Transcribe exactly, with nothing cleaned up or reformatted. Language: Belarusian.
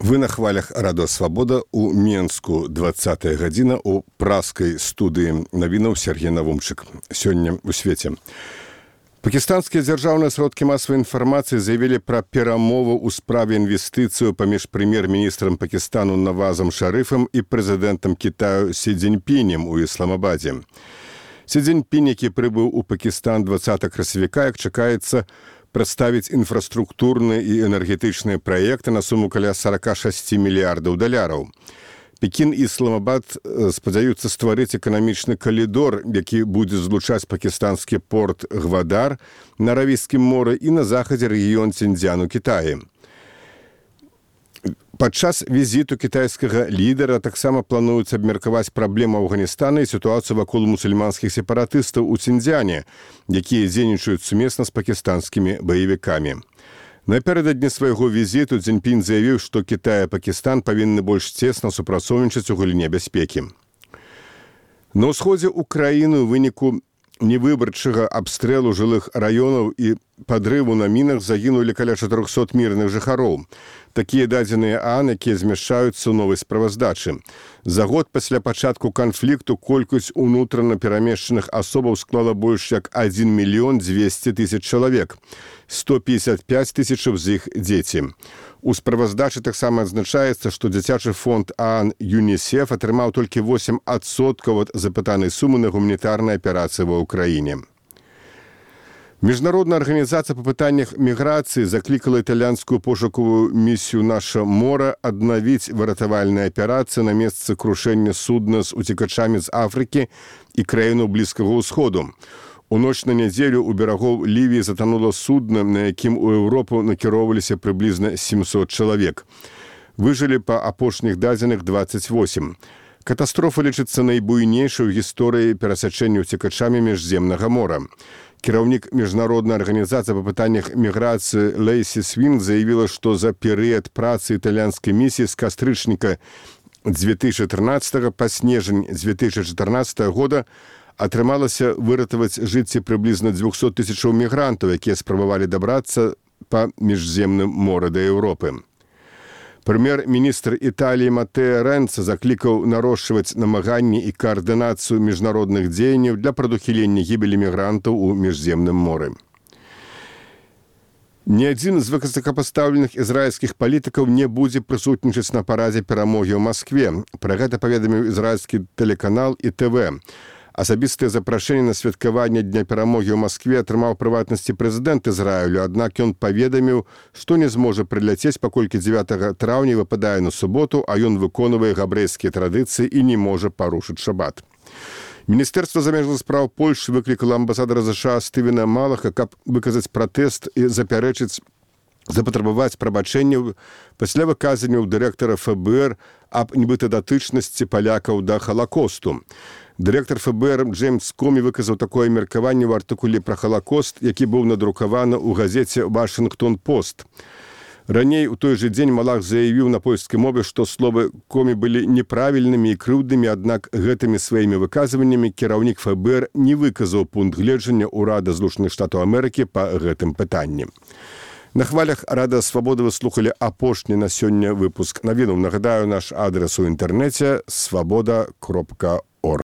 Вы на хвалях Радио Свобода у Менску, двадцатая гадзіна у праскай студыі навінаў Сергей Навумчык. Сёння у свеце. Пакістанскія дзяржаўныя сродкі масавай інфармацыі заявілі пра перамову ў справе інвестыцыю паміж прэм'ер-міністрам Пакістану Навазам Шарыфам і прэзідэнтам Кітаю Сі Цзіньпінем у Ісламабадзе. Сі Цзіньпінь, які прыбыў у Пакістан двадцатага красавіка, як чакаецца, прадставіць інфраструктурныя і энергетычныя праекты на суму каля сорок шесть мільярдаў даляраў. Пекін і Ісламабад спадзяюцца стварыць эканамічны калідор, які будзе злучаць пакістанскі порт Гвадар на Аравійскім моры і на захадзе рэгіён Цзіньцзян у Кітаі. Падчас візіту кітайскага лідара таксама плануецца абмеркаваць праблему Афганістана і сітуацыю вакол мусульманскіх сепаратыстаў у Цзіньцзяне, якія дзейнічаюць сумесна з пакістанскімі баевікамі. Напярэдадні свайго візіту Цзіньпінь заявіў, што Кітай і Пакістан павінны больш цесна супрацоўнічаць у галіне бяспекі. На ўсходзе ўкраіны ў выніку невыбарчага абстрэлу жылых раёнаў і падрыву на мінах загінулі каля чатырохсот мірных жыхароў. Такія дадзеныя ААН, якія змяшчаюцца ў новай справаздачы. За год пасля пачатку канфлікту колькасць унутрана перамешчаных асобаў склала больш як адзін мільён дзвесце тысяч чалавек. сто пятьдесят пять тысяч з іх дзеці. У справаздачы таксама адзначаецца, што дзіцячы фонд ААН ЮНІСЕФ атрымаў толькі восем адсоткаў ад запытанай сумы на гуманітарныя аперацыі ва ўкраіне. Міжнародная арганізацыя па пытаннях міграцыі заклікала італьянскую пошукавую місію «Наша мора» аднавіць выратавальныя аперацыі на месцы крушэння судна з уцекачамі з Афрыкі і краінаў Блізкага ўсходу. У ноч на нядзелю у берагоў Лівіі затанула судна, на якім у Еўропу накіроўваліся прыблізна семьсот чалавек. Выжылі па апошніх дадзеных дваццаць восем. Катастрофа лічыцца найбуйнейшай у гісторыі перасячэння уцекачамі міжземнага мора. Кіраўнік міжнароднай арганізацыі па пытаннях міграцыі Лейсі Свін заявіла, што за перыяд працы італьянскай місіі з кастрычніка две тысячи тринадцатого па снежань две тысячи чатырнаццатага года атрымалася выратаваць жыцці прыблізна дзвюсот тысячаў мігрантаў, якія спрабавалі дабрацца па міжземным моры да Еўропы. Прэм'ер-міністр Італіі Матэа Рэнца заклікаў нарошчваць намаганні і каардынацыю міжнародных дзеянняў для прадухілення гібелі мігрантаў у міжземным моры. Ні адзін з высокапастаўленых ізраільскіх палітыкаў не будзе прысутнічаць на парадзе перамогі ў Маскве. Пра гэта паведаміў ізраільскі тэлеканал і тэ вэ. Асабістае запрашэнне на святкаванне Дня перамогі ў Маскве атрымаў прыватнасці прэзідэнт Ізраілю, аднак ён паведаміў, што не зможа прыляцець, паколькі дзевятага траўня выпадае на суботу, а ён выконвае габрэйскія традыцыі і не можа парушыць шабат. Міністэрства замежных спраў Польшы выклікала амбасадара ЗША Стывена Малаха, каб выказаць пратэст і запярэчыць запатрабаваць прабачэнняў пасля выказанняў дырэктара эф бэ эр аб нібыта датычнасці палякаў да Халакосту. Дырэктар эф бэ эр Джеймс Комі выказаў такое меркаванне ў артыкуле пра Халакост, які быў надрукаваны ў газеце «Вашынгтон-Пост». Раней у той жа дзень Малах заявіў на польскай мове, што словы Комі былі неправільнымі і крыўднымі, аднак гэтымі сваімі выказваннямі кіраўнік эф бэ эр не выказаў пункт гледжання ўрада Злучаных Штатаў Амерыкі па гэтым пытанні. На хвалях Радио Свобода вы слухали апошні на сёння выпуск навінаў. Нагадаю, наш адрес у інтэрнэце свобода кропка